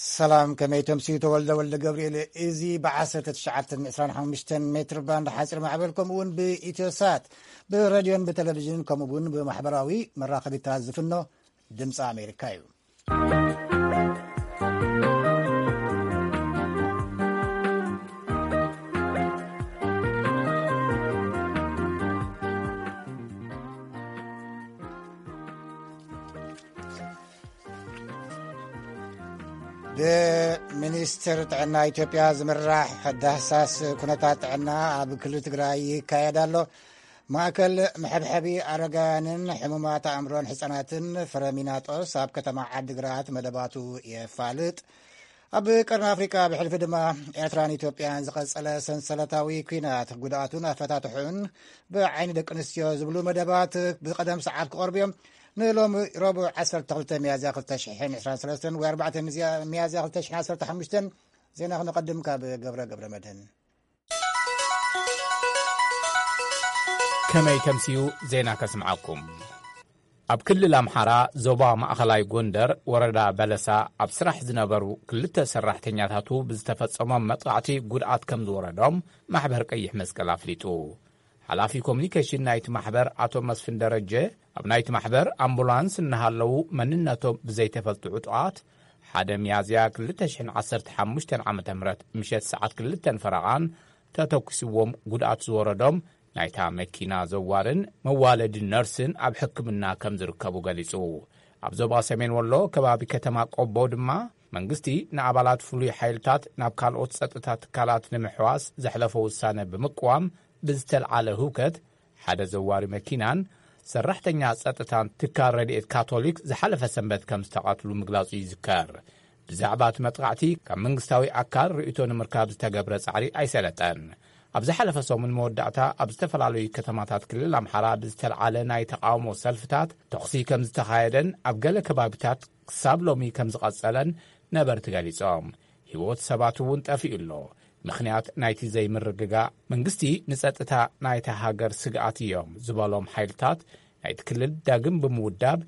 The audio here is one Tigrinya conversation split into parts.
ሰላም፣ ከመይ ተምስዩ? ተወልደ ወልደ ገብርኤል። እዚ ብ19 ብ25 ሜትር ባንድ ሓፂር ማዕበል፣ ከምኡ እውን ብኢትዮሳት፣ ብሬድዮን ብቴሌቪዥን፣ ከምኡ እውን ብማሕበራዊ መራኸቢታት ዝፍኖ ድምፂ ኣሜሪካ እዩ። ብሚኒስትር ጥዕና ኢትዮጵያ ዝምራሕ ዳህሳስ ኩነታት ጥዕና ኣብ ክልል ትግራይ ይካየድ ኣሎ። ማእከል መሐብሐቢ ኣረጋውያንን ሕሙማት ኣእምሮን ህጻናትን ፍረሚናጦስ ኣብ ከተማ ዓዲግራት መደባቱ የፋልጥ። ኣብ ቀርኒ ኣፍሪቃ ብሕልፊ ድማ ኤርትራን ኢትዮጵያን ዝቐጸለ ሰንሰለታዊ ኲናት ጉድኣቱን ኣፈታትሑን ብዓይኒ ደቂ ኣንስትዮ ዝብሉ መደባት ብቐደም ሰዓት ክቐርቡ እዮም። ንሎሚ ረቡዕ 12 ሚያዝያ 2023 ወይ 4 ሚያዝያ 2015 ዜና ክነቐድም ካብ ገብረ ገብረ መድህን። ከመይ ተምስዩ? ዜና ከስምዓኩም። ኣብ ክልል ኣምሓራ ዞባ ማእኸላይ ጎንደር ወረዳ በለሳ ኣብ ስራሕ ዝነበሩ ክልተ ሰራሕተኛታቱ ብዝተፈጸሞም መጥቃዕቲ ጉድኣት ከም ዝወረዶም ማሕበር ቀይሕ መስቀል ኣፍሊጡ። ሓላፊ ኮሙኒኬሽን ናይቲ ማሕበር ኣቶ መስፍን ደረጀ ኣብ ናይቲ ማሕበር ኣምቡላንስ እናሃለዉ መንነቶም ብዘይተፈልጡ ዕጡቓት ሓደ ሚያዝያ 2015 ዓ.ም ምሸት ሰዓት ክልተን ፈረቓን ተተኩስዎም ጉድኣት ዝወረዶም ናይታ መኪና ዘዋርን መዋለዲ ነርስን ኣብ ሕክምና ከም ዝርከቡ ገሊጹ። ኣብ ዞባ ሰሜን ወሎ ከባቢ ከተማ ቆቦ ድማ መንግስቲ ንኣባላት ፍሉይ ሓይልታት ናብ ካልኦት ጸጥታ ትካላት ንምሕዋስ ዘሕለፎ ውሳነ ብምቅዋም ብዝተልዓለ ህውከት ሓደ ዘዋሪ መኪናን ሰራሕተኛ ጸጥታን ትካል ረድኤት ካቶሊክ ዝሓለፈ ሰንበት ከም ዝተቐትሉ ምግላጹ ይዝከር። ብዛዕባ እቲ መጥቃዕቲ ካብ መንግስታዊ ኣካል ርእይቶ ንምርካብ ዝተገብረ ጻዕሪ ኣይሰለጠን። ኣብ ዝሓለፈ ሰሙን መወዳእታ ኣብ ዝተፈላለዩ ከተማታት ክልል ኣምሓራ ብዝተልዓለ ናይ ተቃውሞ ሰልፍታት ተኹሲ ከም ዝተኻየደን ኣብ ገለ ከባቢታት ክሳብ ሎሚ ከም ዝቐጸለን ነበርቲ ገሊጾም። ህይወት ሰባት እውን ጠፊኡ ኣሎ። ምኽንያት ናይቲ ዘይምርግጋእ መንግስቲ ንጸጥታ ናይታ ሃገር ስግኣት እዮም ዝበሎም ሓይልታት ናይቲ ክልል ዳግም ብምውዳብ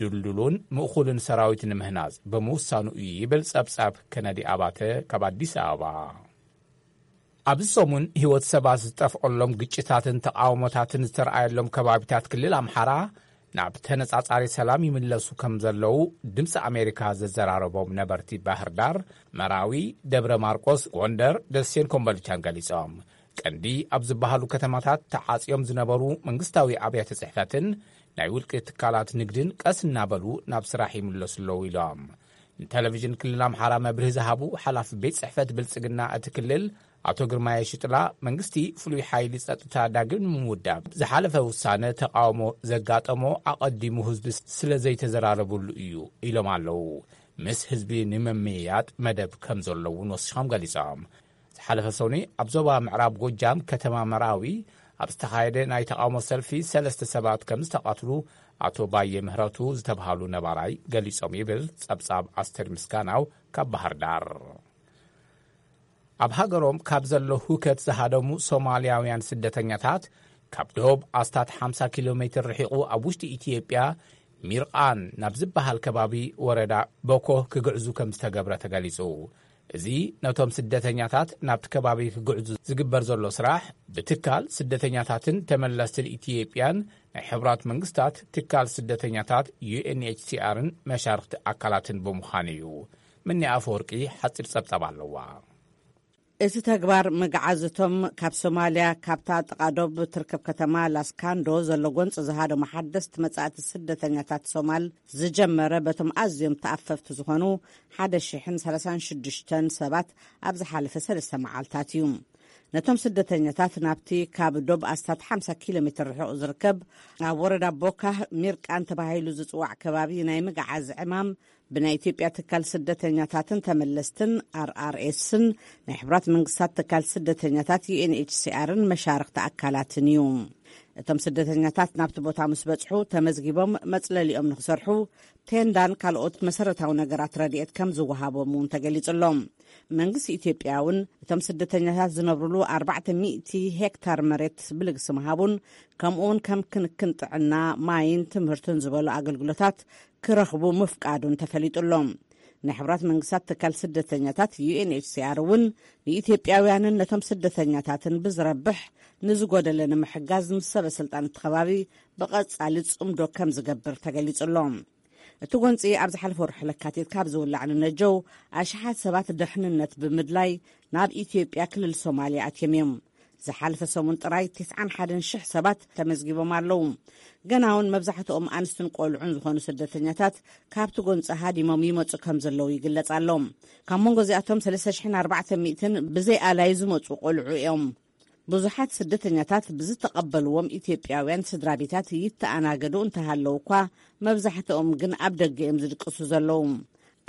ድልዱሉን ምእኹልን ሰራዊት ንምህናጽ ብምውሳኑ እዩ ይብል ጸብጻብ ከነዲ ኣባተ ካብ ኣዲስ ኣበባ። ኣብዚ ሰሙን ህይወት ሰባት ዝጠፍኦሎም ግጭታትን ተቃውሞታትን ዝተረኣየሎም ከባቢታት ክልል ኣምሓራ ናብ ተነጻጻሪ ሰላም ይምለሱ ከም ዘለዉ ድምፂ ኣሜሪካ ዘዘራረቦም ነበርቲ ባህር ዳር፣ መራዊ፣ ደብረ ማርቆስ፣ ጎንደር፣ ደሴን ኮምቦልቻን ገሊጾም። ቀንዲ ኣብ ዝበሃሉ ከተማታት ተዓጽዮም ዝነበሩ መንግስታዊ ኣብያተ ጽሕፈትን ናይ ውልቂ ትካላት ንግድን ቀስ እናበሉ ናብ ስራሕ ይምለሱ ኣለዉ ኢሎም። ንቴሌቪዥን ክልል ኣምሓራ መብርሂ ዝሃቡ ሓላፊ ቤት ጽሕፈት ብልጽግና እቲ ክልል ኣቶ ግርማየ ሽጥላ፣ መንግስቲ ፍሉይ ሓይሊ ጸጥታ ዳግም ንምውዳብ ዝሓለፈ ውሳነ ተቃውሞ ዘጋጠሞ ኣቐዲሙ ህዝቢ ስለ ዘይተዘራረብሉ እዩ ኢሎም ኣለዉ። ምስ ህዝቢ ንምምይያጥ መደብ ከም ዘሎ እውን ወሲኾም ገሊጾም። ዝሓለፈ ሰኑይ ኣብ ዞባ ምዕራብ ጎጃም ከተማ መራዊ ኣብ ዝተኻየደ ናይ ተቃውሞ ሰልፊ ሰለስተ ሰባት ከም ዝተቐትሉ ኣቶ ባየ ምህረቱ ዝተብሃሉ ነባራይ ገሊጾም ይብል ጸብጻብ ኣስተር ምስጋናው ካብ ባህር ዳር። ኣብ ሃገሮም ካብ ዘሎ ሁከት ዝሃደሙ ሶማልያውያን ስደተኛታት ካብ ዶብ ኣስታት 50 ኪሎ ሜትር ርሒቑ ኣብ ውሽጢ ኢትዮጵያ ሚርቓን ናብ ዝበሃል ከባቢ ወረዳ ቦኮ ክግዕዙ ከም ዝተገብረ ተገሊጹ። እዚ ነቶም ስደተኛታት ናብቲ ከባቢ ክግዕዙ ዝግበር ዘሎ ስራሕ ብትካል ስደተኛታትን ተመለስትን ኢትዮጵያን ናይ ሕቡራት መንግስታት ትካል ስደተኛታት ዩ ኤን ኤች ሲ ኣርን መሻርኽቲ ኣካላትን ብምዃኑ እዩ። ምኒ ኣፈወርቂ ሓጺር ጸብጻብ ኣለዋ። እቲ ተግባር ምግዓዝ እቶም ካብ ሶማልያ ካብታ ጥቓ ዶብ ትርከብ ከተማ ላስካንዶ ዘሎ ጎንፂ ዝሃደሙ ሓደስቲ መጻእቲ ስደተኛታት ሶማል ዝጀመረ በቶም ኣዝዮም ተኣፈፍቲ ዝኾኑ 1,036 ሰባት ኣብ ዝሓለፈ ሰለስተ መዓልታት እዩ። ነቶም ስደተኛታት ናብቲ ካብ ዶብ ኣስታት 50 ኪሎ ሜትር ርሑቕ ዝርከብ ኣብ ወረዳ ቦካህ ሚርቃን ተባሂሉ ዝጽዋዕ ከባቢ ናይ ምግዓዝ ዕማም ብናይ ኢትዮጵያ ትካል ስደተኛታትን ተመለስትን ኣር ኣር ኤስን ናይ ሕብራት መንግስታት ትካል ስደተኛታት ዩ ኤን ኤች ሲ ኣርን መሻርኽቲ ኣካላትን እዩ። እቶም ስደተኛታት ናብቲ ቦታ ምስ በጽሑ ተመዝጊቦም መጽለሊኦም ንክሰርሑ ቴንዳን ካልኦት መሰረታዊ ነገራት ረድኤት ከም ዝወሃቦም እውን ተገሊጹ ኣሎ። መንግስቲ ኢትዮጵያ እውን እቶም ስደተኛታት ዝነብሩሉ 400 ሄክታር መሬት ብልግሲ ምሃቡን ከምኡውን ከም ክንክን ጥዕና፣ ማይን ትምህርትን ዝበሉ ኣገልግሎታት ክረኽቡ ምፍቃዱን ተፈሊጡ ኣሎ። ናይ ሕብራት መንግስታት ትካል ስደተኛታት ዩ ኤን ኤች ሲ ኣር እውን ንኢትዮጵያውያንን ነቶም ስደተኛታትን ብዝረብሕ ንዝጎደለ ንምሕጋዝ ምስ ሰበ ስልጣን እቲ ከባቢ ብቐጻሊ ጽምዶ ከም ዝገብር ተገሊጹ ኣሎ። እቲ ጎንጺ ኣብ ዝሓለፈ ወርሒ ለካቲት ካብ ዝውላዕ ንነጀው ኣሽሓት ሰባት ደሕንነት ብምድላይ ናብ ኢትዮጵያ ክልል ሶማልያ ኣትዮም እዮም። ዝሓለፈ ሰሙን ጥራይ ትስዓን ሓደን ሽሕ ሰባት ተመዝጊቦም ኣለዉ። ገና እውን መብዛሕትኦም ኣንስትን ቆልዑን ዝኾኑ ስደተኛታት ካብቲ ጎንጺ ሃዲሞም ይመጹ ከም ዘለዉ ይግለጽ ኣሎ። ካብ መንጎ እዚኣቶም ሰለስተ ሽሕን ኣርባዕተ ሚእትን ብዘይ ኣላይ ዝመጹ ቆልዑ እዮም። ብዙሓት ስደተኛታት ብዝተቐበልዎም ኢትዮጵያውያን ስድራ ቤታት ይተኣናገዱ እንተሃለዉ እኳ፣ መብዛሕትኦም ግን ኣብ ደገ እዮም ዝድቅሱ ዘለዉ።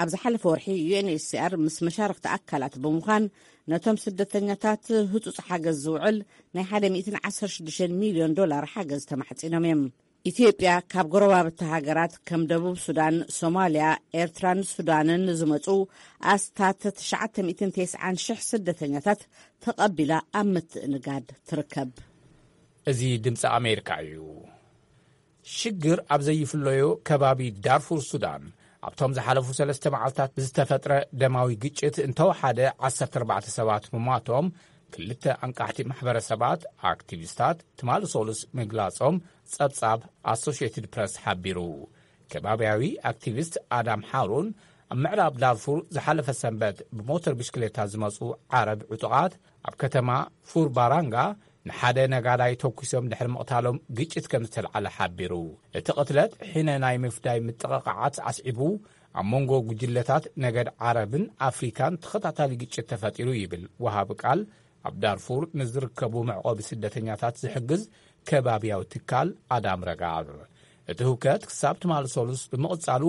ኣብ ዝሓለፈ ወርሒ ዩ ኤን ኤች ሲ ኣር ምስ መሻርኽቲ ኣካላት ብምዃን ነቶም ስደተኛታት ህጹጽ ሓገዝ ዝውዕል ናይ ሓደ ሚእትን ዓሰርተ ሽዱሽተ ሚልዮን ዶላር ሓገዝ ተማሕጺኖም እዮም። ኢትዮጵያ ካብ ጎረባብቲ ሃገራት ከም ደቡብ ሱዳን፣ ሶማልያ፣ ኤርትራን ሱዳንን ዝመጹ ኣስታት ትሽዓተ ሚእትን ተስዓን ሽሕ ስደተኛታት ተቐቢላ ኣብ ምትእንጋድ ትርከብ። እዚ ድምፂ ኣሜሪካ እዩ። ሽግር ኣብ ዘይፍለዮ ከባቢ ዳርፉር ሱዳን፣ ኣብቶም ዝሓለፉ ሰለስተ መዓልታት ብዝተፈጥረ ደማዊ ግጭት እንተወሓደ ዓሰርተ ኣርባዕተ ሰባት ምሟቶም፣ ክልተ ኣንቃሕቲ ማሕበረሰባት ኣክቲቪስታት ትማሊ ሶሉስ ምግላጾም ጸብጻብ ኣሶሽየትድ ፕረስ ሓቢሩ። ከባብያዊ ኣክቲቪስት ኣዳም ሓሩን ኣብ ምዕራብ ዳርፉር ዝሓለፈ ሰንበት ብሞተር ብሽክሌታ ዝመጹ ዓረብ ዕጡቓት ኣብ ከተማ ፉር ባራንጋ ንሓደ ነጋዳይ ተኩሶም ድሕሪ ምቕታሎም ግጭት ከም ዝተልዓለ ሓቢሩ። እቲ ቅትለት ሕነ ናይ ምፍዳይ ምጥቕቓዓት ኣስዒቡ ኣብ መንጎ ጉጅለታት ነገድ ዓረብን ኣፍሪካን ተኸታታሊ ግጭት ተፈጢሩ ይብል ወሃቢ ቃል ኣብ ዳርፉር ንዝርከቡ መዕቆቢ ስደተኛታት ዝሕግዝ ከባብያዊ ትካል ኣዳም ረጋብ። እቲ ህውከት ክሳብ ትማሊ ሶሉስ ብምቕጻሉ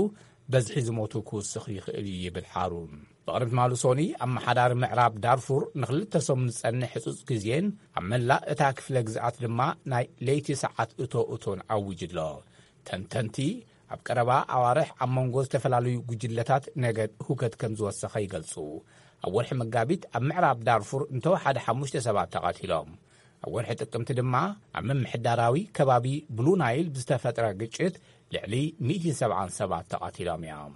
በዝሒ ዝሞቱ ክውስኽ ይኽእል እዩ ይብል ሓሩን። ብቕድሚ ትማሊ ሶኒ ኣመሓዳሪ ምዕራብ ዳርፉር ንክልተ ሰሙን ዝጸንሕ ህጹጽ ግዜን ኣብ መላእ እታ ክፍለ ግዝኣት ድማ ናይ ለይቲ ሰዓት እቶ እቶን ኣዊጁ ኣሎ። ተንተንቲ ኣብ ቀረባ ኣዋርሕ ኣብ መንጎ ዝተፈላለዩ ጉጅለታት ነገድ ህውከት ከም ዝወሰኸ ይገልጹ። ኣብ ወርሒ መጋቢት ኣብ ምዕራብ ዳርፉር እንተወሓደ ሓሙሽተ ሰባት ተቐቲሎም። ኣብ ወርሒ ጥቅምቲ ድማ ኣብ ምምሕዳራዊ ከባቢ ብሉ ናይል ብዝተፈጥረ ግጭት ልዕሊ ሚእቲ ሰብዓን ሰባት ተቐቲሎም እዮም።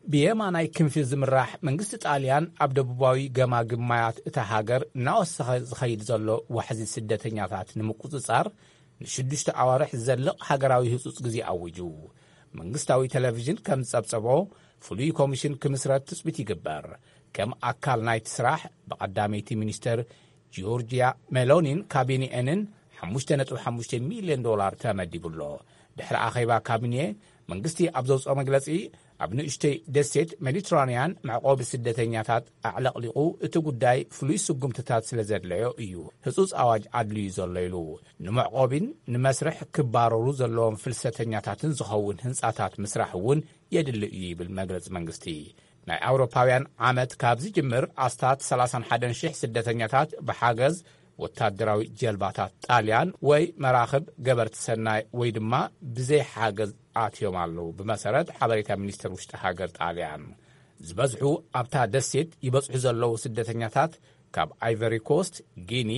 ብየማናይ ክንፊ ዝምራሕ መንግስቲ ጣልያን ኣብ ደቡባዊ ገማግም ማያት እታ ሃገር እናወሰኸ ዝኸይድ ዘሎ ዋሕዚ ስደተኛታት ንምቁጽጻር ንሽዱሽተ ኣዋርሕ ዝዘልቕ ሃገራዊ ህጹጽ ግዜ ኣዊጁ። መንግስታዊ ቴሌቪዥን ከም ዝጸብጸቦ ፍሉይ ኮሚሽን ክምስረት ትጽቢት ይግበር። ከም ኣካል ናይቲ ስራሕ ብቐዳመይቲ ሚኒስተር ጂዮርጂያ ሜሎኒን ካቢኔኤንን ሓሙሽተ ነጥቢ ሓሙሽተ ሚልዮን ዶላር ተመዲቡ ኣሎ። ድሕሪ ኣኼባ ካቢኔ መንግስቲ ኣብ ዘውፅኦ መግለፂ ኣብ ንእሽተይ ደሴት ሜዲትራንያን መዕቆቢ ስደተኛታት ኣዕለቕሊቑ እቲ ጉዳይ ፍሉይ ስጉምትታት ስለ ዘድለዮ እዩ ህፁፅ ኣዋጅ ኣድልዩ ዘሎ ኢሉ። ንመዕቆቢን ንመስርሕ ክባረሩ ዘለዎም ፍልሰተኛታትን ዝኸውን ህንፃታት ምስራሕ እውን የድሊ እዩ ይብል መግለፂ መንግስቲ። ናይ ኣውሮፓውያን ዓመት ካብ ዝጅምር ኣስታት ሰላሳን ሓደን ሽሕ ስደተኛታት ብሓገዝ ወታደራዊ ጀልባታት ጣልያን ወይ መራኽብ ገበርቲ ሰናይ ወይ ድማ ብዘይ ሓገዝ ኣትዮም ኣለዉ፣ ብመሰረት ሓበሬታ ሚኒስትር ውሽጢ ሃገር ጣልያን። ዝበዝሑ ኣብታ ደሴት ይበጽሑ ዘለዉ ስደተኛታት ካብ ኣይቨሪ ኮስት፣ ጊኒ፣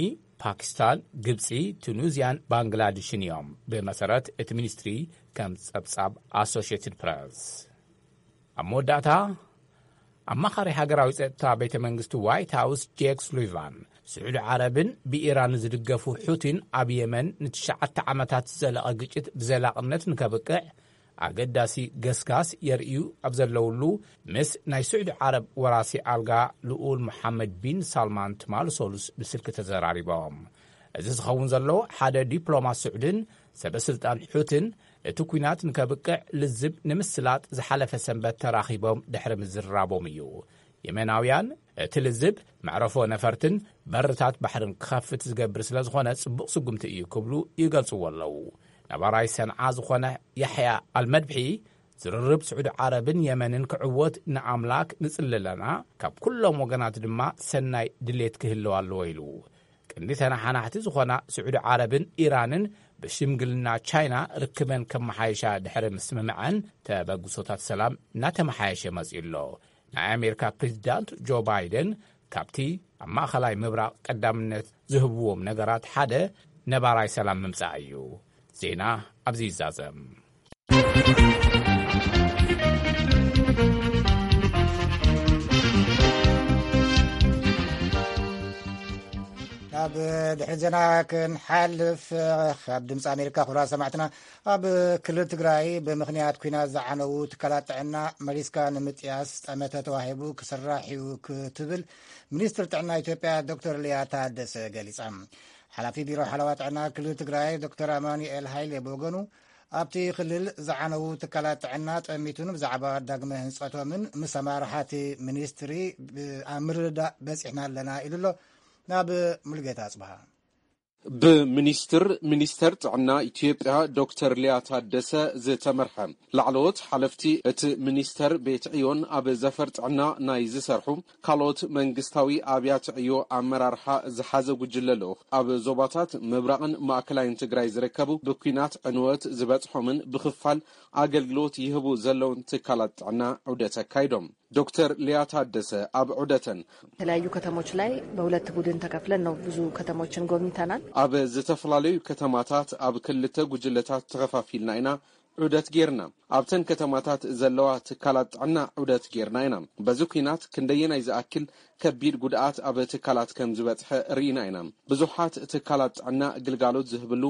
ፓኪስታን፣ ግብጺ፣ ቱኒዝያን ባንግላድሽን እዮም፣ ብመሰረት እቲ ሚኒስትሪ ከም ጸብጻብ ኣሶሽየትድ ፕረስ። ኣብ መወዳእታ፣ ኣማኻሪ ሃገራዊ ጸጥታ ቤተ መንግስቲ ዋይት ሃውስ ጄክ ሱሊቫን፣ ስዑዲ ዓረብን ብኢራን ዝድገፉ ሑቲን ኣብ የመን ንትሽዓተ ዓመታት ዝዘለቐ ግጭት ብዘላቕነት ንከብቅዕ ኣገዳሲ ገስጋስ የርእዩ ኣብ ዘለውሉ፣ ምስ ናይ ስዑዲ ዓረብ ወራሲ ኣልጋ ልኡል መሓመድ ቢን ሳልማን ትማሊ ሰሉስ ብስልኪ ተዘራሪቦም። እዚ ዝኸውን ዘሎ፣ ሓደ ዲፕሎማት ስዑድን ሰበ ስልጣን ሑትን እቲ ኲናት ንከብቅዕ ልዝብ ንምስላጥ ዝሓለፈ ሰንበት ተራኺቦም ድሕሪ ምዝርራቦም እዩ። የመናውያን እቲ ልዝብ መዕረፎ ነፈርትን በርታት ባሕርን ክኸፍት ዝገብር ስለ ዝኾነ ጽቡቕ ስጉምቲ እዩ ክብሉ ይገልጽዎ ኣለዉ። ነባራይ ሰንዓ ዝኾነ ያሕያ ኣልመድብሒ፣ ዝርርብ ስዑዲ ዓረብን የመንን ክዕወት ንኣምላክ ንጽሊ ኣለና፣ ካብ ኩሎም ወገናት ድማ ሰናይ ድሌት ክህልው ኣለዎ ኢሉ። ቀንዲ ተነሓናሕቲ ዝኾና ስዑዲ ዓረብን ኢራንን ብሽምግልና ቻይና ርክበን ከመሓየሻ ድሕሪ ምስምምዐን፣ ተበግሶታት ሰላም እናተመሓየሸ መጺኡ ኣሎ። ናይ ኣሜሪካ ፕሬዚዳንት ጆ ባይደን ካብቲ ኣብ ማእኸላይ ምብራቕ ቀዳምነት ዝህብዎም ነገራት ሓደ ነባራይ ሰላም ምምጻእ እዩ። ዜና ኣብዚ ይዛዘም። ድሕሪ ዜና ክንሓልፍ፣ ካብ ድምፂ ኣሜሪካ ክቡራት ሰማዕትና፣ ኣብ ክልል ትግራይ ብምኽንያት ኲናት ዝዓነዉ ትካላት ጥዕና መሊስካ ንምጥያስ ጠመተ ተዋሂቡ ክስራሕ እዩ ክትብል ሚኒስትር ጥዕና ኢትዮጵያ ዶክተር ሊያ ታደሰ ገሊጻ። ሓላፊ ቢሮ ሓለዋ ጥዕና ክልል ትግራይ ዶክተር ኣማኑኤል ሃይሌ ብወገኑ፣ ኣብቲ ክልል ዝዓነዉ ትካላት ጥዕና ጠሚቱን ብዛዕባ ዳግመ ህንጸቶምን ምስ ኣመራርሓቲ ሚኒስትሪ ብ-፣ ኣብ ምርድዳእ በጺሕና ኣለና ኢሉ ኣሎ። ናብ ሙሉጌታ ኣጽብሃ። ብሚኒስትር ሚኒስተር ጥዕና ኢትዮጵያ ዶክተር ሊያ ታደሰ ዝተመርሐ ላዕለዎት ሓለፍቲ እቲ ሚኒስተር ቤት ዕዮን ኣብ ዘፈር ጥዕና ናይ ዝሰርሑ ካልኦት መንግስታዊ ኣብያተ ዕዮ ኣመራርሓ ዝሓዘ ጉጅለ ልኡኽ ኣብ ዞባታት ምብራቕን ማእከላይን ትግራይ ዝርከቡ ብኲናት ዕንወት ዝበጽሖምን ብኽፋል ኣገልግሎት ይህቡ ዘለውን ትካላት ጥዕና ዑደት ኣካይዶም። ዶክተር ሊያ ታደሰ ኣብ ዑደተን የተለያዩ ከተሞች ላይ በሁለት ቡድን ተከፍለን ነው ብዙ ከተሞችን ጎብኝተናል። ኣብ ዝተፈላለዩ ከተማታት ኣብ ክልተ ጉጅለታት ተኸፋፊልና ኢና ዑደት ጌርና። ኣብተን ከተማታት ዘለዋ ትካላት ጥዕና ዑደት ጌርና ኢና። በዚ ኲናት ክንደየናይ ዝኣክል ከቢድ ጉድኣት ኣብ ትካላት ከም ዝበጽሐ ርኢና ኢና። ብዙሓት ትካላት ጥዕና ግልጋሎት ዝህብሉ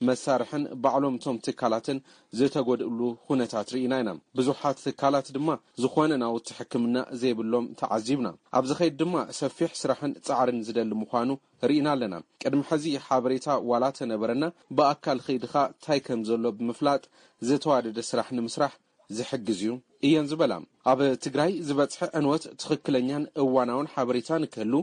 መሳርሕን ባዕሎም እቶም ትካላትን ዝተጎድእሉ ኩነታት ርኢና ኢና። ብዙሓት ትካላት ድማ ዝኾነ ናውቲ ሕክምና ዘይብሎም ተዓዚብና። ኣብ ዝኸይድ ድማ ሰፊሕ ስራሕን ጻዕርን ዝደሊ ምዃኑ ርኢና ኣለና። ቅድሚ ሕዚ ሓበሬታ ዋላ ተነበረና፣ ብኣካል ኸይድኻ እንታይ ከም ዘሎ ብምፍላጥ ዝተዋደደ ስራሕ ንምስራሕ ዝሕግዝ እዩ እየን ዝበላ። ኣብ ትግራይ ዝበጽሐ ዕንወት ትኽክለኛን እዋናውን ሓበሬታ ንክህሉ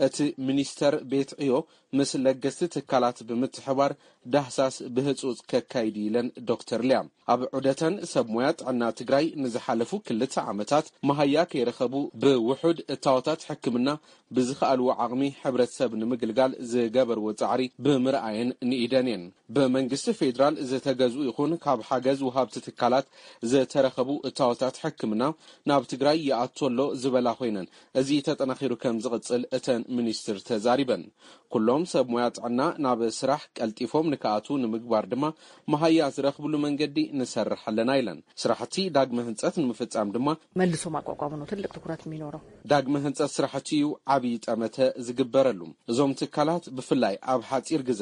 እቲ ሚኒስተር ቤት ዕዮ ምስ ለገስቲ ትካላት ብምትሕባር ዳህሳስ ብህጹጽ ከካይድ ኢለን ዶክተር ሊያ። ኣብ ዑደተን ሰብ ሞያ ጥዕና ትግራይ ንዝሓለፉ ክልተ ዓመታት መሃያ ከይረኸቡ ብውሑድ እታወታት ሕክምና ብዝኸኣልዎ ዓቕሚ ሕብረተሰብ ንምግልጋል ዝገበርዎ ጻዕሪ ብምርኣየን ንኢደን እየን። ብመንግስቲ ፌዴራል ዝተገዝኡ ይኹን ካብ ሓገዝ ወሃብቲ ትካላት ዝተረኸቡ እታወታት ሕክምና ናብ ትግራይ ይኣቱ ኣሎ ዝበላ ኮይነን፣ እዚ ተጠናኺሩ ከም ዝቕጽል እተን ሚኒስትር ተዛሪበን። ኩሎም ሰብ ሞያ ጥዕና ናብ ስራሕ ቀልጢፎም ንክኣትዉ ንምግባር ድማ መሃያ ዝረኽብሉ መንገዲ ንሰርሕ ኣለና ኢለን። ስራሕቲ ዳግመ ህንጸት ንምፍጻም ድማ መልሶ ማቋቋሙ ነው ትልቅ ትኩረት የሚኖረው። ዳግመ ህንጸት ስራሕቲ እዩ ዓብዪ ጠመተ ዝግበረሉ። እዞም ትካላት ብፍላይ ኣብ ሓጺር ግዘ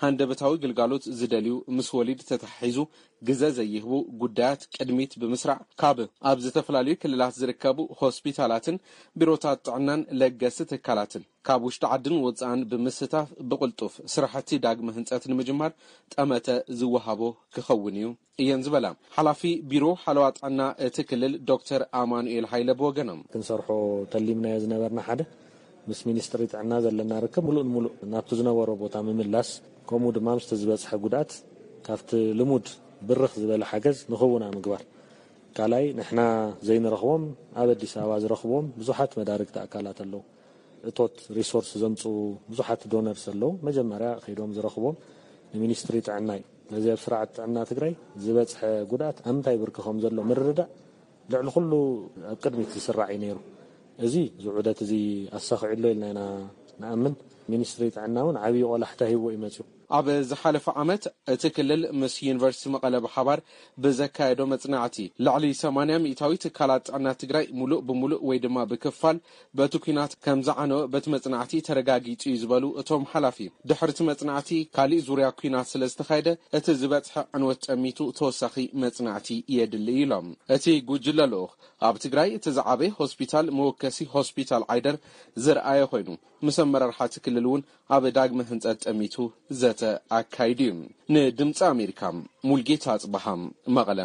ሃንደበታዊ ግልጋሎት ዝደልዩ ምስ ወሊድ ተተሓሒዙ ግዘ ዘይህቡ ጉዳያት ቅድሚት ብምስራዕ ካብ ኣብ ዝተፈላለዩ ክልላት ዝርከቡ ሆስፒታላትን ቢሮታት ጥዕናን ለገስቲ ትካላትን ካብ ውሽጢ ዓድን ወጻእን ብምስታፍ ብቕልጡፍ ስራሕቲ ዳግመ ህንጸት ንምጅማር ጠመተ ዝወሃቦ ክኸውን እዩ እየን ዝበላ ሓላፊ ቢሮ ሓለዋ ጥዕና እቲ ክልል ዶክተር ኣማኑኤል ሃይለ ብወገኖም። ክንሰርሖ ተሊምናዮ ዝነበርና ሓደ ምስ ሚኒስትሪ ጥዕና ዘለና ርክብ ሙሉእ ንሙሉእ ናብቲ ዝነበሮ ቦታ ምምላስ፣ ከምኡ ድማ ምስቲ ዝበጽሐ ጉድኣት ካብቲ ልሙድ ብርኽ ዝበለ ሓገዝ ንኽውና ምግባር። ካልኣይ ንሕና ዘይንረኽቦም ኣብ ኣዲስ ኣበባ ዝረኽብዎም ብዙሓት መዳርግቲ ኣካላት ኣለዉ። እቶት ሪሶርስ ዘምጽኡ ብዙሓት ዶነርስ ኣለዉ። መጀመርያ ከይዶም ዝረኽቦም ንሚኒስትሪ ጥዕና እዩ። ስለዚ ኣብ ስርዓት ጥዕና ትግራይ ዝበጽሐ ጉድኣት ኣብ ምንታይ ብርኪ ከም ዘሎ ምርዳእ ልዕሊ ኩሉ ኣብ ቅድሚት ዝስራዕ እዩ ነይሩ። እዚ ዝዑደት እዚ ኣሳኺዑ ኣሎ ኢልና ኢና ንኣምን። ሚኒስትሪ ጥዕና እውን ዓብዪ ቆላሕታ ሂቦ እዩ መፅዩ። ኣብ ዝሓለፈ ዓመት እቲ ክልል ምስ ዩኒቨርሲቲ መቐለ ብሓባር ብዘካየዶ መጽናዕቲ ልዕሊ ሰማንያ ሚእታዊ ትካላት ጥዕና ትግራይ ሙሉእ ብሙሉእ ወይ ድማ ብክፋል በቲ ኲናት ከም ዝዓነወ በቲ መጽናዕቲ ተረጋጊጹ እዩ ዝበሉ እቶም ሓላፊ፣ ድሕሪ እቲ መጽናዕቲ ካሊእ ዙርያ ኲናት ስለ ዝተኻየደ እቲ ዝበጽሐ ዕንወት ጠሚቱ ተወሳኺ መጽናዕቲ የድሊ ኢሎም። እቲ ጉጅለ ልኡኽ ኣብ ትግራይ እቲ ዝዓበየ ሆስፒታል መወከሲ ሆስፒታል ዓይደር ዝረኣየ ኮይኑ፣ ምስ ኣመራርሓ እቲ ክልል እውን ኣብ ዳግመ ህንጸት ጠሚቱ ዘተ ኣካይዱ እዩ። ንድምፂ ኣሜሪካ ሙልጌታ ኣጽበሃ መቐለ።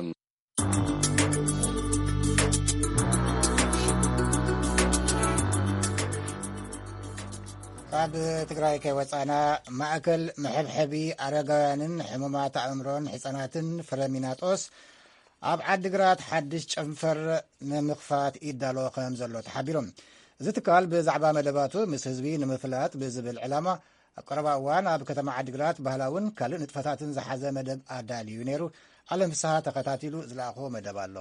ካብ ትግራይ ከይወፃና፣ ማእከል መሐብሐቢ ኣረጋውያንን ሕሙማት ኣእምሮን ህፃናትን ፍረሚናጦስ ኣብ ዓዲግራት ሓድሽ ጨንፈር ንምኽፋት ይዳሎ ከም ዘሎ ተሓቢሮም። እዚ ትካል ብዛዕባ መደባቱ ምስ ህዝቢ ንምፍላጥ ብዝብል ዕላማ ኣብ ቀረባ እዋን ኣብ ከተማ ዓዲግራት ባህላውን ካልእ ንጥፈታትን ዝሓዘ መደብ ኣዳልዩ ነይሩ። ኣለም ፍስሃ ተኸታቲሉ ዝለኣኾ መደብ ኣሎ።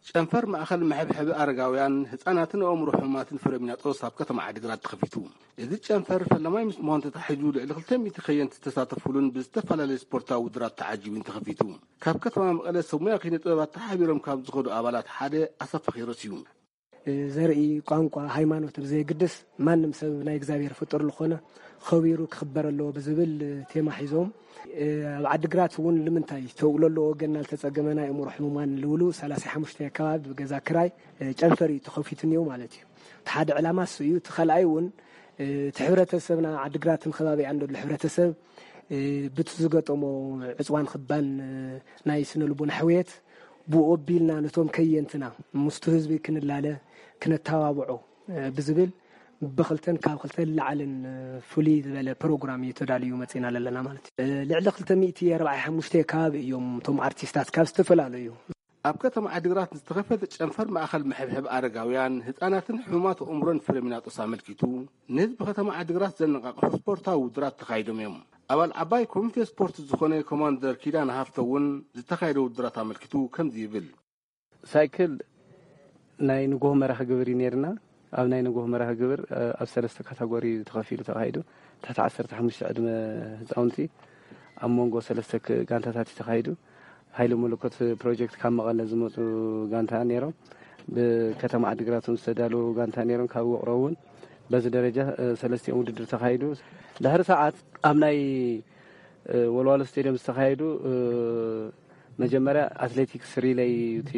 ጨንፈር ማእኸል መሐብሐቢ ኣረጋውያን፣ ህፃናትን ኣእምሮ ሕሙማትን ፍረሚናጦስ ኣብ ከተማ ዓዲግራት ተኸፊቱ። እዚ ጨንፈር ፈለማይ ምስ ምዃኑ ተታሒዙ ልዕሊ ክልተ ሚእቲ ከየንቲ ዝተሳተፉሉን ብዝተፈላለየ ስፖርታዊ ውድድራት ተዓጂቡን ተኸፊቱ። ካብ ከተማ መቐለ ሰብ ሙያ ኪነ ጥበባት ተሓቢሮም ካብ ዝኸዱ ኣባላት ሓደ ኣሰፋ ኪሮስ እዩ። ዘርኢ፣ ቋንቋ፣ ሃይማኖት ብዘየግድስ ማንም ሰብ ናይ እግዚኣብሔር ፍጡር ዝኾነ ኸቢሩ ክኽበር ኣለዎ ብዝብል ቴማ ሒዞም፣ ኣብ ዓዲግራት እውን ንምንታይ ተውዕሎ ኣለዎ ወገንና ዝተጸገመ ናይ ኣእምሮ ሕሙማን ልውሉ ሰላሳ ሓሙሽተ ከባቢ ብገዛ ክራይ ጨንፈር እዩ ተኸፊቱ እኒኦ ማለት እዩ። እቲ ሓደ ዕላማ እሱ እዩ። እቲ ካልኣይ እውን እቲ ሕብረተሰብና ዓዲግራትን ከባቢኣን ዘሎ ሕብረተሰብ ብቲ ዝገጠሞ ዕፅዋን ክባን ናይ ስነ ልቦና ሕውየት ብኡ ኣቢልና ነቶም ከየንትና ምስቱ ህዝቢ ክንላለ ክነተባብዖ ብዝብል ብኽልተን ካብ ክልተ ላዕልን ፍሉይ ዝበለ ፕሮግራም እዩ ተዳልዩ መፂና ዘለና ማለት እዩ። ልዕሊ ክልተ ሚእቲ ኣርባዓ ሓሙሽተ ከባቢ እዮም እቶም ኣርቲስታት ካብ ዝተፈላለዩ ኣብ ከተማ ዓዲግራት ዝተኸፈተ ጨንፈር ማእኸል መሐብሐብ ኣረጋውያን፣ ህፃናትን ሕሙማት ኣእምሮን ፍሬሚናጦስ ኣመልኪቱ፣ ንህዝቢ ከተማ ዓዲግራት ዘነቃቕሑ ስፖርታዊ ውድራት ተኻይዶም እዮም። ኣባል ዓባይ ኮሚቴ ስፖርት ዝኾነ ኮማንደር ኪዳነ ሃፍተ እውን ዝተኻየደ ውድራት ኣመልኪቱ ከምዚ ይብል። ሳይክል ናይ ንጎሆ መራኺ ግብር እዩ ነይርና። ኣብ ናይ ንጎሆ መራኺ ግብር ኣብ ሰለስተ ካታጎሪ ተኸፊሉ ተኻሂዱ። ትሕቲ ዓሰርተ ሓሙሽተ ዕድመ ህፃውንቲ ኣብ መንጎ ሰለስተ ክ- ጋንታታት እዩ ተኻሂዱ። ሃይለ መለኮት ፕሮጀክት ካብ መቐለ ዝመፁ ጋንታ ነይሮም። ብከተማ ዓዲግራት እውን ዝተዳለዉ ጋንታ ነይሮም። ካብ ውቕሮ እውን በዚ ደረጃ ሰለስቲኦም ውድድር ተኻሂዱ። ድሕሪ ሰዓት ኣብ ናይ ወልዋሎ ስቴድየም ዝተኻየዱ መጀመርያ ኣትሌቲክስ ሪለይ እቲ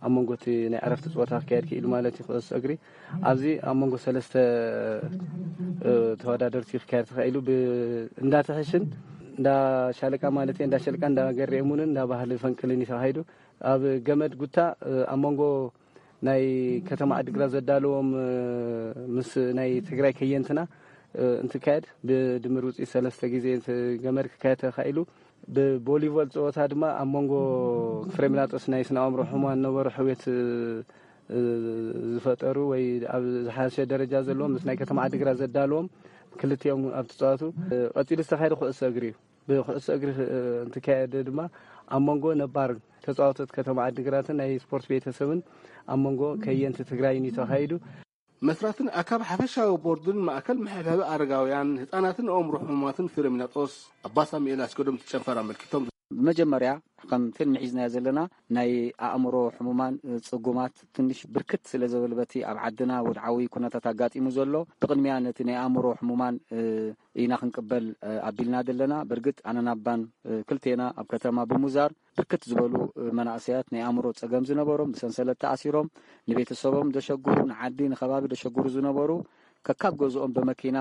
ኣብ መንጎ እቲ ናይ ዕረፍቲ ፀወታ ክካየድ ክኢሉ ማለት እዩ። ክእሱ እግሪ ኣብዚ ኣብ መንጎ ሰለስተ ተወዳደርቲ ክካየድ ተኻኢሉ። እንዳትሕሽን እንዳ ሻለቃ ማለት እንዳ ሸልቃ እንዳ ገሬሙንን እንዳ ባህሊ ፈንቅልን እዩ ተኻሂዱ። ኣብ ገመድ ጉታ ኣብ መንጎ ናይ ከተማ ዓዲግራት ዘዳለዎም ምስ ናይ ትግራይ ከየንትና እንትካየድ ብድምር ውፅኢት ሰለስተ ግዜ ገመድ ክካየድ ተኻኢሉ። ብቦሊቮል ፀወታ ድማ ኣብ መንጎ ፍሬሚናጦስ ናይ ስነ ኣእምሮ ሕሙማን ነበሩ ሕውየት ዝፈጠሩ ወይ ኣብ ዝሓሸ ደረጃ ዘለዎም ምስ ናይ ከተማ ዓዲግራት ዘዳለዎም ክልቲኦም ኣብ ትፃወቱ። ቀፂሉ ዝተካየደ ኩዕሶ እግሪ እዩ። ብኩዕሶ እግሪ እንትካየድ ድማ ኣብ መንጎ ነባር ተፃወቶት ከተማ ዓዲግራትን ናይ ስፖርት ቤተሰብን ኣብ መንጎ ከየንቲ ትግራይን እዩ ተኻይዱ። መስራትን ኣካብ ሓፈሻዊ ቦርድን ማእከል መሐብሐቢ ኣረጋውያን ህፃናትን ኣእምሮ ሕሙማትን ፍሬሚናጦስ ኣባ ሳሙኤል ኣስገዶም ትጨንፈር ኣመልኪቶም። ብመጀመርያ ከም ፊልም ሒዝናዮ ዘለና ናይ ኣእምሮ ሕሙማን ፅጉማት ትንሽ ብርክት ስለ ዘበለ በቲ ኣብ ዓድና ወድዓዊ ኩነታት ኣጋጢሙ ዘሎ ብቅድሚያ ነቲ ናይ ኣእምሮ ሕሙማን ኢና ክንቅበል ኣቢልና ዘለና። በርግጥ ኣነን ኣባን ክልቴና ኣብ ከተማ ብሙዛር ብርክት ዝበሉ መናእሰያት ናይ ኣእምሮ ፀገም ዝነበሮም ብሰንሰለት ተኣሲሮም ንቤተሰቦም ዘሸግሩ ንዓዲ ንከባቢ ዘሸግሩ ዝነበሩ ከካብ ገዝኦም ብመኪና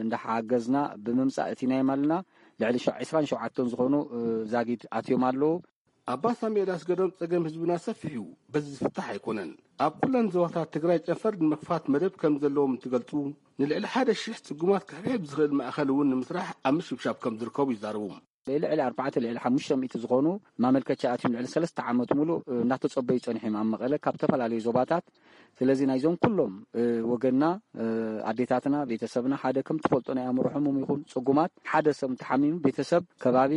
እንዳሓገዝና ብምምፃእ እቲ ናይ ማልና ልዕሊ ዕስራን ሸውዓተን ዝኾኑ ዛጊድ ኣትዮም ኣለዉ። ኣባ ሳሙኤል ኣስገዶም ፀገም ህዝብና ሰፊሕ እዩ፣ በዚ ዝፍታሕ ኣይኮነን። ኣብ ኩለን ዞባታት ትግራይ ጨንፈር ንምክፋት መደብ ከም ዘለዎም እንትገልፁ ንልዕሊ ሓደ ሽሕ ፅጉማት ክሕብሕብ ዝኽእል ማእኸል እውን ንምስራሕ ኣብ ምሽብሻብ ከም ዝርከቡ ይዛረቡ። ልዕሊ ኣርባዕተ ልዕሊ ሓሙሽተ ሚእቲ ዝኾኑ ማመልከቻ ኣትዮም ልዕሊ ሰለስተ ዓመት ሙሉእ እናተፀበዩ ፀኒሖም ኣብ መቐለ ካብ ዝተፈላለዩ ዞባታት። ስለዚ ናይዞም ኩሎም ወገንና ኣዴታትና ቤተሰብና ሓደ ከም ትፈልጦ ናይ ኣእምሮ ሕሙም ይኹን ፅጉማት ሓደ ሰብ እንተሓሚሙ ቤተሰብ ከባቢ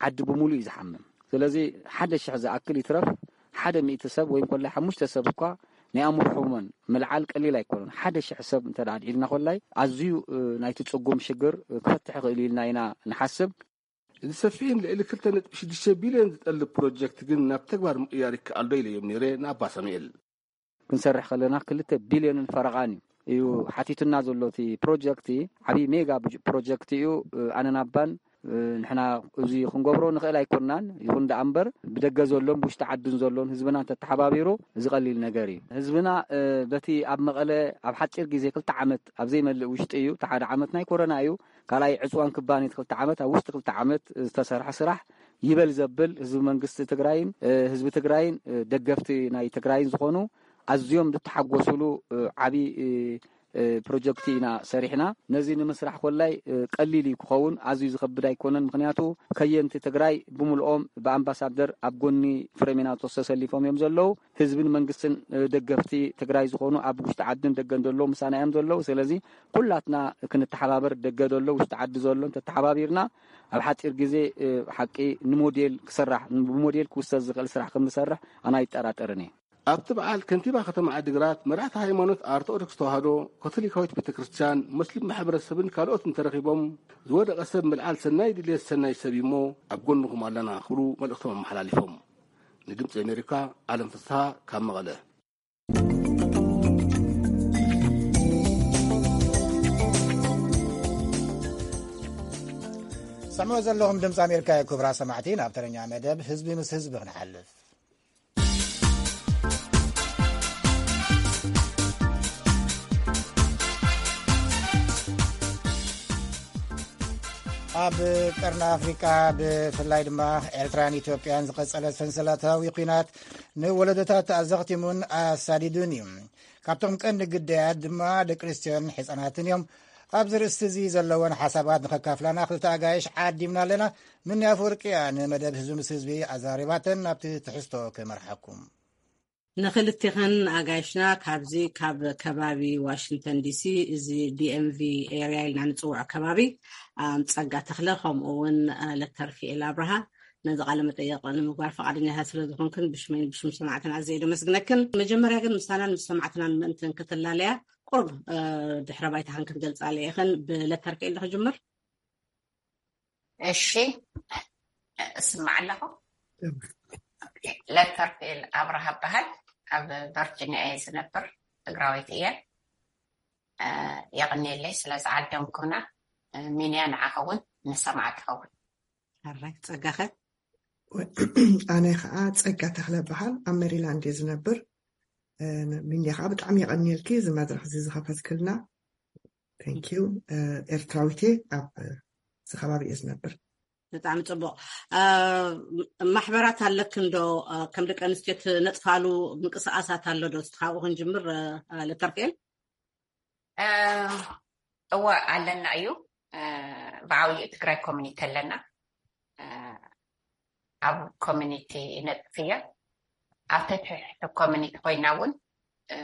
ዓዲ ብምሉእ እዩ ዝሓምም። ስለዚ ሓደ ሽሕ ዝኣክል ይትረፍ ሓደ ሚእቲ ሰብ ወይ እንኮላይ ሓሙሽተ ሰብ እኳ ናይ ኣእምሮ ሕሙመን ምልዓል ቀሊል ኣይኮነን። ሓደ ሽሕ ሰብ እንተ ኣድዒልና ኮላይ ኣዝዩ ናይቲ ፅጉም ሽግር ክፈትሕ ይኽእል ኢልና ኢና ንሓስብ። እዚ ሰፊሕን ልዕሊ ክልተ ነጥቢ ሽዱሽተ ቢልዮን ዝጠልብ ፕሮጀክት ግን ናብ ተግባር ምቕያር ይከኣል ዶ ኢለዮም ነይረ ንኣባ ሳሙኤል። ክንሰርሕ ከለና ክልተ ቢልዮንን ፈረቓን እዩ ሓቲቱና ዘሎ እቲ ፕሮጀክት። ዓብዪ ሜጋ ፕሮጀክት እዩ። ኣነን ኣባን ንሕና እዚ ክንገብሮ ንኽእል ኣይኮንናን። ይኹን ደኣ እምበር ብደገ ዘሎን ብውሽጢ ዓድን ዘሎን ህዝብና እንተተሓባቢሩ እዚ ቀሊል ነገር እዩ። ህዝብና በቲ ኣብ መቐለ ኣብ ሓፂር ግዜ ክልተ ዓመት ኣብ ዘይመልእ ውሽጢ እዩ። እቲ ሓደ ዓመት ናይ ኮረና እዩ። ካልኣይ ዕፅዋን ክባን እቲ ክልተ ዓመት ኣብ ውሽጢ ክልተ ዓመት ዝተሰርሐ ስራሕ ይበል ዘብል ህዝቢ መንግስቲ ትግራይን ህዝቢ ትግራይን ደገፍቲ ናይ ትግራይን ዝኾኑ ኣዝዮም ዝተሓጎስሉ ዓብዪ ፕሮጀክት ኢና ሰሪሕና። ነዚ ንምስራሕ ኮላይ ቀሊል እዩ ክኸውን ኣዝዩ ዝኸብድ ኣይኮነን። ምክንያቱ ከየንቲ ትግራይ ብምልኦም ብኣምባሳደር ኣብ ጎኒ ፍሬሚናጦስ ተሰሊፎም እዮም ዘለዉ። ህዝብን መንግስትን ደገፍቲ ትግራይ ዝኾኑ ኣብ ውሽጢ ዓድን ደገን ዘለዉ ምሳና እዮም ዘለዉ። ስለዚ ኩላትና ክንተሓባበር ደገ ዘሎ ውሽጢ ዓዲ ዘሎ እንተተሓባቢርና ኣብ ሓፂር ግዜ ሓቂ ንሞዴል ክስራሕ ብሞዴል ክውሰድ ዝኽእል ስራሕ ከም ንሰርሕ ኣነ ኣይጠራጠርን እየ። ኣብቲ በዓል ከንቲባ ከተማ ዓዲግራት፣ መራሕቲ ሃይማኖት ኣርቶዶክስ ተዋህዶ፣ ካቶሊካዊት ቤተ ክርስቲያን፣ ሙስሊም ማሕበረሰብን ካልኦትን ተረኺቦም ዝወደቐ ሰብ ምልዓል ሰናይ ድልየት ሰናይ ሰብ እዩሞ ኣብ ጎንኹም ኣለና ክብሉ መልእኽቶም ኣመሓላሊፎም። ንድምፂ ኣሜሪካ ዓለም ፍስሃ ካብ መቐለ። ሰምዑ ዘለኹም ድምፂ ኣሜሪካ እዩ። ክቡራት ሰማዕቲ፣ ናብ ተረኛ መደብ ህዝቢ ምስ ህዝቢ ክንሓልፍ። ኣብ ቀርኒ ኣፍሪቃ፣ ብፍላይ ድማ ኤርትራን ኢትዮጵያን ዝቐጸለ ሰንሰለታዊ ኲናት ንወለዶታት ኣዘኽቲሙን ኣሳዲዱን እዩ። ካብቶም ቀንዲ ግዳያት ድማ ደቂ ኣንስትዮን ሕጻናትን እዮም። ኣብዚ ርእስቲ እዚ ዘለወን ሓሳባት ንኸካፍላና ክልተ ኣጋይሽ ዓዲምና ኣለና። ምኒ ኣፈወርቂ እያ ንመደብ ህዝቢ ምስ ህዝቢ ኣዛሪባተን። ናብቲ ትሕዝቶ ክመርሓኩም። ንኽልቴኽን ኣጋይሽና ካብዚ ካብ ከባቢ ዋሽንግተን ዲሲ፣ እዚ ዲ ኤም ቪ ኤርያ ኢልና ንጽውዖ ከባቢ፣ ኣም፣ ጸጋ ተኽለ፣ ከምኡ እውን፣ አ፣ ለተርፊኤል ኣብርሃ፣ ነዚ ቃለ መጠየቕ ንምግባር ፈቓደኛታት ስለ ዝኾንክን ብሽመይን ብሽም ሰማዕትና ኣዝየ ደመስግነክን። መጀመርያ ግን ምሳናን ምስ ሰማዕትናን ምእንትን ክትላለያ ቁሩብ፣ አ፣ ድሕረ ባይታኽን ክትገልጻ ኢኽን። ብለተርፊኤል ዶ ክጅምር? እሺ፣ እስማዕ ኣለኹ። ለተርፌል ኣብርሃ እበሃል። ኣብ ቨርጂኒያ እየ ዝነብር። ትግራወይቲ እየ። እ፣ የቐንየለይ ስለ ዝዓደምኩምና። እ፣ ሚንያ ንዓኻ እውን ንሰማዕትኻ እውን። ሕራይ፣ ጸጋኸ? ኣነ ኸዓ ጸጋ ተኽለ እበሃል። ኣብ ሜሪላንድ እየ ዝነብር። እ፣ ሚንያ ኸዓ ብጣዕሚ የቐንየልኪ እዚ መድረኽ እዚ ዝኸፈትክልና። Thank you። እ፣ ኤርትራዊት እየ። ኣብ፣ እ፣ እዚ ከባቢ እየ ዝነብር። ብጣዕሚ ጽቡቕ። እ፣ ማሕበራት ኣለክን ዶ? እ፣ ከም ደቂ ኣንስትዮ ትነጥፋሉ ምንቅስቓሳት ኣሎ ዶ? እስቲ ካብኡ ክንጅምር፣ እ፣ እ፣ ለተርፌል። እ፣ እወ ኣለና እዩ። እ፣ ብዓብይኡ ትግራይ ኮሚኒቲ ኣለና። እ፣ ኣብ ኮሚኒቲ ይነጥፍ እየ። ኣብ ተትሕቲ ኮሚኒቲ ኮይና እውን፣ እ፣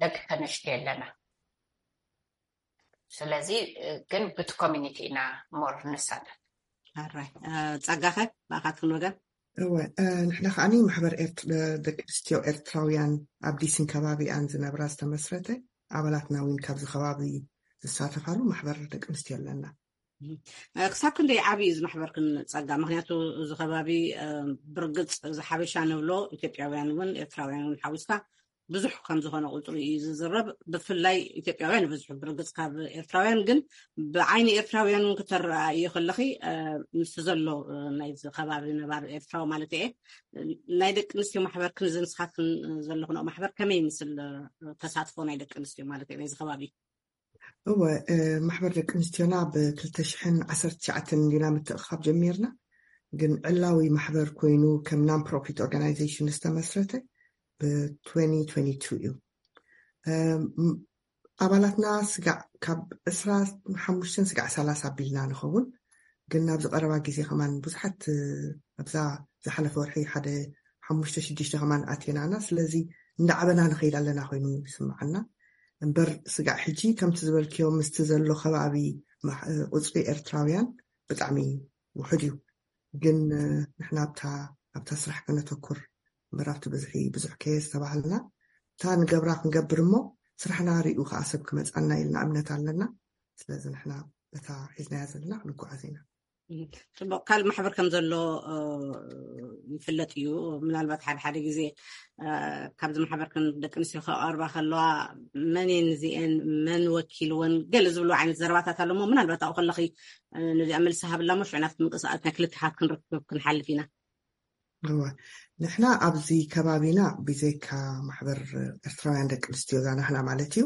ደቂ ተነሽቲ ኣለና። ስለዚ፣ እ፣ ግን ብቲ ኮሚኒቲ ኢና ሞር ንሳተፍ። ኣራይ፣ እ፣ ጸጋኸ ብኣኻትክን ወገን? እወ፣ እ፣ ንሕና ከዓኒ ማሕበር ኤርት-፣ ደቂ ኣንስትዮ ኤርትራውያን ኣብ ዲሲን ከባቢኣን ዝነብራ ዝተመስረተ፣ ኣባላትና እውን ካብዚ ከባቢ ዝሳተፋሉ ማሕበር ደቂ ኣንስትዮ ኣለና። እ፣ ክሳብ ክንደይ ዓብዪ እዩ እዚ ማሕበርክን ጸጋ? ምኽንያቱ እዚ ከባቢ፣ እ፣ ብርግጽ እዚ ሓበሻ ንብሎ ኢትዮጵያውያን እውን ኤርትራውያን እውን ሓዊስካ ብዙሕ ከም ዝኾነ ቁጽሪ እዩ ዝዝረብ። ብፍላይ ኢትዮጵያውያን ይበዝሑ ብርግጽ ካብ ኤርትራውያን፣ ግን ብዓይኒ ኤርትራውያን እውን ክተረኣእዮ ከለኺ፣ እ፣ ምስቲ ዘሎ፣ እ፣ ናይዚ ከባቢ ነባሪ ኤርትራዊ ማለት እየ፣ ናይ ደቂ ኣንስትዮ ማሕበርክን እዚ ንስኻትክን ዘለኽንኦ ማሕበር ከመይ ይምስል፣ እ፣ ተሳትፎ ናይ ደቂ ኣንስትዮ ማለት እየ ናይዚ ከባቢ? እወ፣ እ፣ ማሕበር ደቂ ኣንስትዮና ብ ክልተ ሽሕን ዓሰርተ ትሽዓተን እንዲና ምትእኽኻብ ጀሚርና። ግን ዕላዊ ማሕበር ኮይኑ ከም non profit organization ዝተመስረተ ብ twenty twenty-two እዩ። እ፣ ም-፣ ኣባላትና ስጋዕ ካብ ዕስራ ሓሙሽተ ስጋዕ ሰላሳ ኣቢልና ንኸውን። ግን ኣብዚ ቀረባ ግዜ ከማን ብዙሓት፣ እ፣ ኣብዛ ዝሓለፈ ወርሒ ሓደ ሓሙሽተ ሽዱሽተ ከማን ኣቴናና። ስለዚ እንዳዓበና ንኸይድ ኣለና ኮይኑ ይስምዓና። እምበር ስጋዕ ሕጂ ከምቲ ዝበልክዮ ምስቲ ዘሎ ከባቢ ማሕ-፣ ቁጽሪ ኤርትራውያን ብጣዕሚ ውሑድ እዩ። ግን፣ እ፣ ንሕና ኣብታ፣ ኣብታ ስራሕ ከነተኩር እምበር ኣብቲ ብዝሒ ብዙሕ ከየ ዝተባህልና እታ ንገብራ ክንገብር እሞ ስራሕና ሪኡ ከዓ ሰብ ክመጻና ኢልና እምነት ኣለና። ስለዚ ንሕና በታ ሒዝናያ ዘለና ክንጓዓዝ ኢና። እም፣ ጽቡቕ። ካልእ ማሕበር ከም ዘሎ፣ እ፣ ይፍለጥ እዩ። ምናልባት ሓደ ሓደ ግዜ፣ እ፣ ካብዚ ማሕበር ከም ደቂ ኣንስትዮ ከቐርባ ከለዋ መን እየን እዚኤን፣ መን ወኪልወን ገለ ዝብሉ ዓይነት ዘረባታት ኣሎ እሞ ምናልባት ኣብኡ ከለኺ፣ እ፣ ነዚኣ መልሲ ሃብላ እሞ ሽዑ ናብቲ ምንቅስቃስ ናይ ክልቴኻትክን ርክብ ክንሓልፍ ኢና። እወ፣ ንሕና ኣብዚ ከባቢና ብዘይካ ማሕበር ኤርትራውያን ደቂ ኣንስትዮ እዛ ናህና ማለት እዩ፣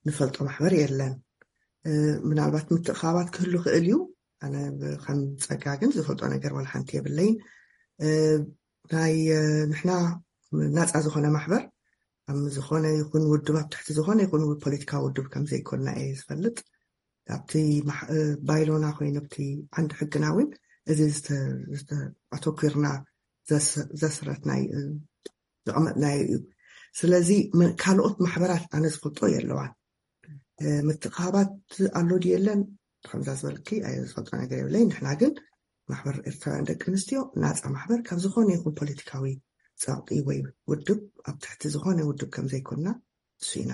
ንፈልጦ ማሕበር የለን። እ፣ ምናልባት ምትእኻባት ክህሉ ክእል እዩ። ኣነ ብ-፣ ከም ጸጋ ግን ዝፈልጦ ነገር ዋላ ሓንቲ የብለይን። እ፣ ናይ፣ እ፣ ንሕና ናጻ ዝኾነ ማሕበር ኣብ ዝኾነ ይኹን ውድብ፣ ኣብ ትሕቲ ዝኾነ ይኹን ፖለቲካዊ ውድብ ከም ዘይኮንና እየ ዝፈልጥ። ኣብቲ ማሕ-፣ እ፣ ባይሎና ኮይኑ ኣብቲ ዓንዲ ሕግና እውን እዚ ዝተ-፣ ዝተ-፣ ኣተኲርና ዘስ-፣ ዘስረትናይ፣ እ፣ ዘቐመጥናዮ እዩ። ስለዚ መ-፣ ካልኦት ማሕበራት ኣነ ዝፈልጦ የለዋን። እ፣ ምትእኻባት ኣሎ ድዩ የለን? ከምዛ ዝበልኪ ኣየ ዝፈልጦ ነገር የብለይ። ንሕና ግን ማሕበር ኤርትራውያን ደቂ ኣንስትዮ ናጻ ማሕበር ካብ ዝኾነ ይኹን ፖለቲካዊ ጸቕጢ ወይ ውድብ ኣብ ትሕቲ ዝኾነ ውድብ ከም ዘይኮንና እሱ ኢና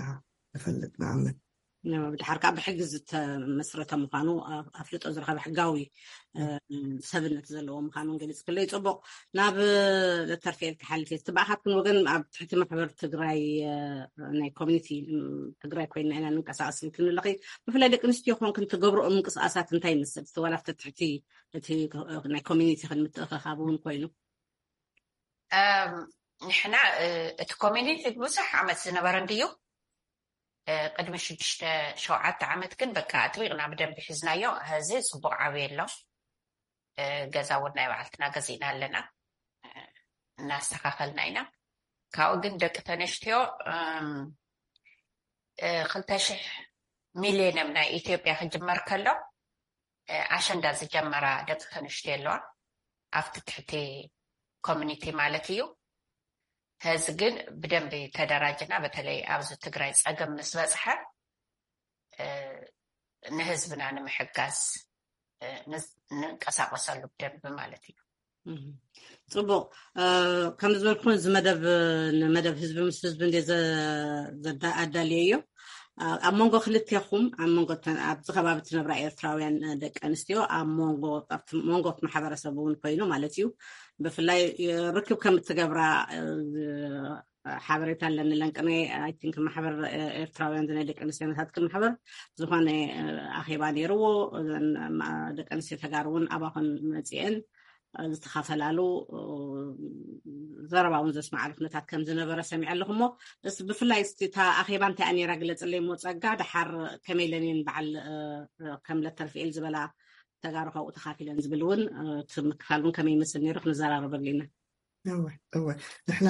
ንፈልጥ፣ ንኣምን። ድሓር ከዓ ብሕጊ ዝተመስረተ ምዃኑ፣ ኣፍልጦ ዝረኸበ ሕጋዊ ሰብነት ዘለዎ ምዃኑን ገሊጽክለይ። ጽቡቕ። ናብ ለተርፍኤል ክሓልፍ እየ። እቲ ብኣኻትክን ወገን ኣብ ትሕቲ ማሕበር ትግራይ ናይ ኮሚኒቲ ትግራይ ኮይና ኢና ንንቀሳቀስ ኢልክን ኣለኺ። ብፍላይ ደቂ ኣንስትዮ ኮንክን ትገብርኦ ምንቅስቃሳት እንታይ ይመስል? እቲ ዋላ ኣብቲ ትሕቲ እቲ ናይ ኮሚኒቲ ክንምትእኸኻብ እውን ኮይኑ። ንሕና እቲ ኮሚኒቲ ብዙሕ ዓመት ዝነበረ እንድዩ። ቅድሚ ሽዱሽተ ሸውዓተ ዓመት ግን በቃ ኣጥቢቕና ብደንብ ሒዝናዮ። ሕዚ ጽቡቕ ዓብየ ኣሎ። ገዛ እውን ናይ ባዕልትና ገዚእና ኣለና፣ እናስተኻኸልና ኢና። ካብኡ ግን ደቂ ተነስትዮ ክልተ ሽሕ ሚሊዮንም ናይ ኢትዮጵያ ክጅመር ከሎ ኣሸንዳ ዝጀመራ ደቂ ተነስትዮ ኣለዋ ኣብቲ ትሕቲ ኮሚኒቲ ማለት እዩ። ሕዚ ግን ብደንቢ ተደራጅና፣ በተለይ ኣብዚ ትግራይ ጸገም ምስ በጽሐ ንህዝብና ንምሕጋዝ ንንቀሳቀሰሉ ብደንቢ ማለት እዩ። ጽቡቕ። ከም ዝበልኩን እዚ መደብ ንመደብ ህዝቢ ምስ ህዝቢ እንደ ኣዳልየ እዮ። ኣብ መንጎ ክልቴኹም፣ ኣብ መንጎ ኣብዚ ከባቢ ትነብራ ኤርትራውያን ደቂ ኣንስትዮ ኣብ መንጎ ኣብቲ መንጎ ማሕበረሰብ እውን ኮይኑ ማለት እዩ፣ ብፍላይ ርክብ ከም እትገብራ ሓበሬታ ኣለኒ። ለንቅነ ኣይ ቲንክ ማሕበር ኤርትራውያን ናይ ደቂ ኣንስትዮ ናታትክን ማሕበር ዝኾነ ኣኼባ ነይርዎ። ደቂ ኣንስትዮ ተጋሩ እውን ኣባኹን መፂአን ዝተኻፈላለሉ ዘረባ እውን ዘስማዓሉ ኩነታት ከም ዝነበረ ሰሚዐ ኣለኹ። እሞ እስ ብፍላይ እስቲ እታ ኣኼባ እንታይ ነይራ ግለፅለይ። እሞ ጸጋ ድሓር ከመይ ኢለን እየን በዓል ከም ለተርፍኤል ዝበላ ተጋሩ ካብኡ ተኻፊለን ዝብል እውን እቲ ምክፋል እውን ከመይ ይመስል ነይሩ ክንዘራረበሉ ኢና። እወ እወ ንሕና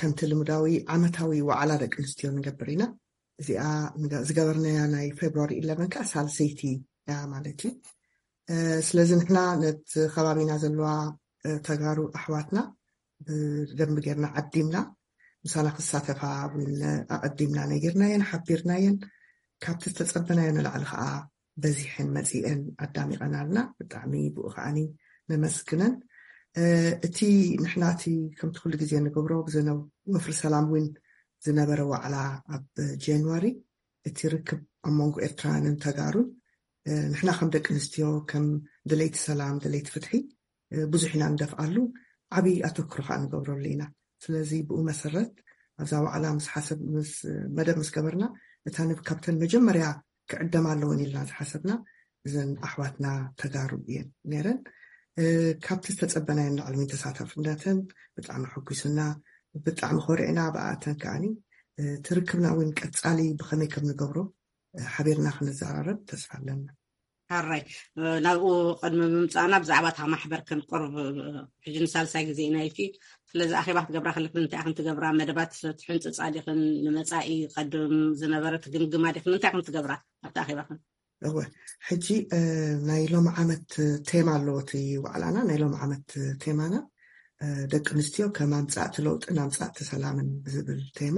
ከምቲ ልሙዳዊ ዓመታዊ ዋዕላ ደቂ ኣንስትዮ ንገብር ኢና። እዚኣ ዝገበርናያ ናይ ፌብሩዋሪ ኢለቨን ከዓ ሳልሰይቲ እያ ማለት እዩ። ስለዚ ንሕና ነቲ ከባቢና ዘለዋ ተጋሩ ኣሕዋትና ብደንቢ ጌርና ዓዲምና፣ ምሳና ክሳተፋ እውን ኣቐዲምና ነጊርናየን ሓቢርናየን። ካብቲ ዝተጸበናዮ ንላዕሊ ከዓ በዚሐን መጺአን ኣዳሚቐናልና። ብጣዕሚ ብኡ ከዓኒ ነመስግነን። እቲ ንሕና እቲ ከምቲ ኩሉ ግዜ ንገብሮ ብዘነው ወፍሪ ሰላም እውን ዝነበረ ዋዕላ ኣብ ጃንዋሪ፣ እቲ ርክብ ኣብ መንጎ ኤርትራውያንን ተጋሩን ንሕና ከም ደቂ ኣንስትዮ ከም ደለይቲ ሰላም ደለይቲ ፍትሒ ብዙሕ ኢና ንደፍኣሉ፣ ዓብዪ ኣተክሮ ከዓ ንገብረሉ ኢና። ስለዚ ብኡ መሰረት ኣብዛ ዋዕላ ምስ ሓሰብ ምስ መደብ ምስ ገበርና እታ ንብ ካብተን መጀመርያ ክዕደማ ኣለወን ኢልና ዝሓሰብና እዘን ኣሕዋትና ተጋሩ እየን ነይረን። ካብቲ ዝተፀበናዮ ንላዕሊ እውን ተሳታፍነተን ብጣዕሚ ሕጉስና፣ ብጣዕሚ ኮሪዕና ብኣተን ከዓኒ ትርክብና እውን ቀፃሊ ብኸመይ ከም ንገብሮ ሓቢርና ክንዘራረብ ተስፋ ኣለና። ሕራይ ናብኡ ቅድሚ ምምፃእና ብዛዕባ እታ ማሕበር ክንቆርብ ሕጂ ንሳልሳይ ግዜ ኢና ኢልኪ። ስለዚ ኣኼባ ክትገብራ ከለክ እንታይ ክንትገብራ መደባት ትሕንፅፃ ዲክን ንመፃኢ ቀድም ዝነበረ ትግምግማ ዲክን እንታይ ክንትገብራ ኣብቲ ኣኼባክን? እወ ሕጂ ናይ ሎም ዓመት ቴማ ኣለዎ እቲ ዋዕላና። ናይ ሎም ዓመት ቴማና ደቂ ኣንስትዮ ከም ኣምፃእቲ ለውጥን ኣምፃእቲ ሰላምን ብዝብል ቴማ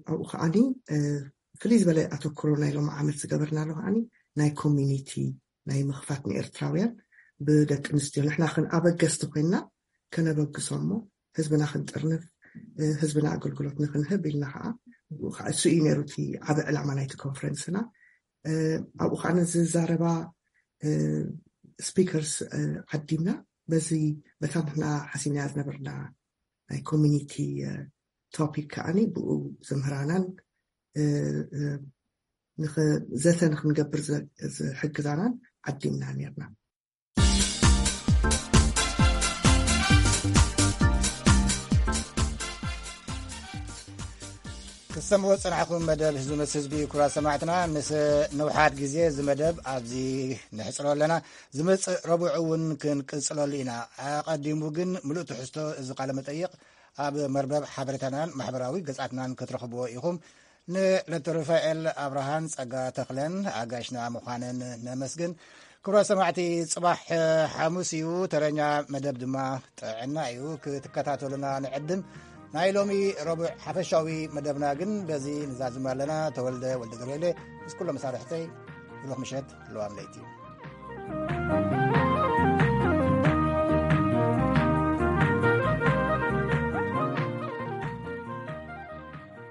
ኣብኡ ከዓኒ ፍልይ ዝበለ ኣተክሮ ናይ ሎም ዓመት ዝገበርናሉ ከዓኒ ናይ ኮሚኒቲ ናይ ምኽፋት ንኤርትራውያን ብደቂ ኣንስትዮ ንሕና ክን ኣበገስቲ ኮይና ከነበግሶ እሞ ህዝብና ክንጥርንፍ ህዝብና ኣገልግሎት ንክንህብ ኢልና ከዓ እሱ እዩ ነይሩ እቲ ዓበ ዕላማ ናይቲ ኮንፈረንስና። ኣብኡ ከዓ ዝዛረባ ስፒከርስ ዓዲምና በዚ በታ ንሕና ሓሲብናያ ዝነበርና ናይ ኮሚኒቲ ቶፒክ ከዓኒ ብኡ ዘምህራናን ዘተ ንክንገብር ዝሕግዛናን ዓዲምና ነርና። ክትሰምዑ ዝጸናሕኩም መደብ ህዝቢ ምስ ህዝቢ። ክቡራት ሰማዕትና፣ ምስ ንውሓት ግዜ እዚ መደብ ኣብዚ ነሕጽሮ ኣለና። ዝመጽእ ረቡዕ እውን ክንቅጽለሉ ኢና። ኣቐዲሙ ግን ምሉእ ትሕዝቶ እዚ ቃለ መጠይቕ ኣብ መርበብ ሓበሬታናን ማሕበራዊ ገጻትናን ክትረኽብዎ ኢኹም። ንዕለተ ሩፋኤል ኣብርሃን ጸጋ ተኽለን ኣጋሽና ምዃነን ነመስግን። ክቡራት ሰማዕቲ፣ ጽባሕ ሓሙስ እዩ፣ ተረኛ መደብ ድማ ጥዕና እዩ። ክትከታተሉና ንዕድም። ናይ ሎሚ ረቡዕ ሓፈሻዊ መደብና ግን በዚ ንዛዝም ኣለና። ተወልደ ወልደ ገብርኤለ ምስ ኩሎም መሳርሕተይ ብሩኽ ምሸት፣ ለዋም ለይቲ።